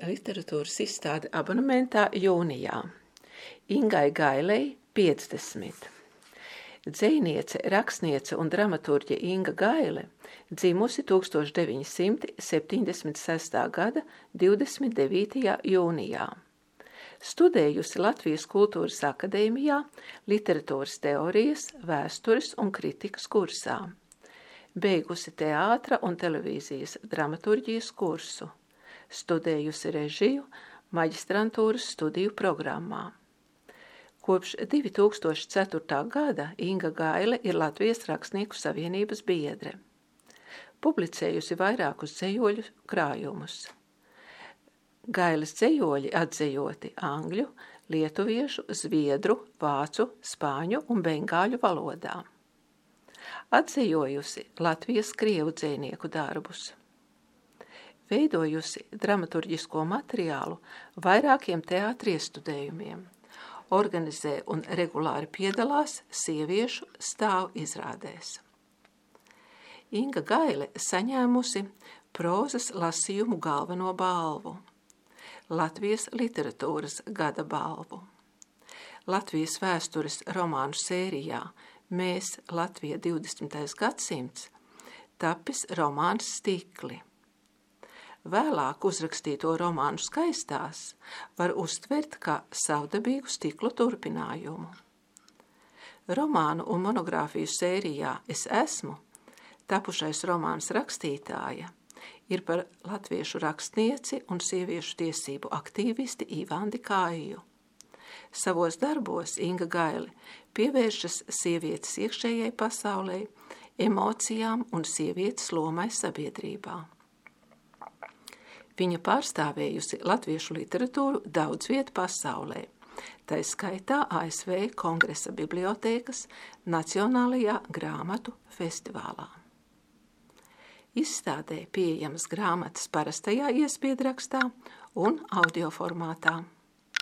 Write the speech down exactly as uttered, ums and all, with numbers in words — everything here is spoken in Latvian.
literatūras izstāde abonementā jūnijā. Ingai Gailei piecdesmit. Dzejniece, rakstniece un dramaturģe Inga Gaile dzimusi tūkstoš deviņi simti septiņdesmit sestā gada divdesmit devītajā jūnijā. Studējusi Latvijas Kultūras akadēmijā literatūras teorijas, vēstures un kritikas kursā. Beigusi teātra un televīzijas dramaturģijas kursu. Studējusi režiju maģistrantūras studiju programmā. Kopš divi tūkstoši ceturtā gada Inga Gaile ir Latvijas Rakstnieku savienības biedre. Publicējusi vairākus dzejoļu krājumus. Gailes dzejoļi atzejoti angļu, lietuviešu, zviedru, vācu, spāņu un bengāļu valodā. Atzejojusi Latvijas krievu dzejnieku darbus. Veidojusi dramaturģisko materiālu vairākiem teātri iestudējumiem. Organizē un regulāri piedalās sieviešu stāvu izrādēs. Inga Gaile saņēmusi prozas lasījumu galveno balvu, Latvijas literatūras gada balvu, Latvijas vēstures romānu sērijā Mēs Latvija divdesmitais gadsimts tapis romāns Stikli. Vēlāk uzrakstīto romānu Skaistās var uztvert kā savdabīgu stiklu turpinājumu. Romānu un monogrāfiju sērijā Es esmu, tapušais romāns Rakstītāja, ir par latviešu rakstnieci un sieviešu tiesību aktīvisti Ivandi Kāju. Savos darbos Inga Gaile pievēršas sievietes iekšējai pasaulei, emocijām un sievietes lomai sabiedrībā. Viņa pārstāvējusi latviešu literatūru daudz vietu pasaulē, tai skaitā A S V Kongresa bibliotēkas Nacionālajā grāmatu festivālā. Izstādē pieejamas grāmatas parastajā iespiedrakstā un audioformātā.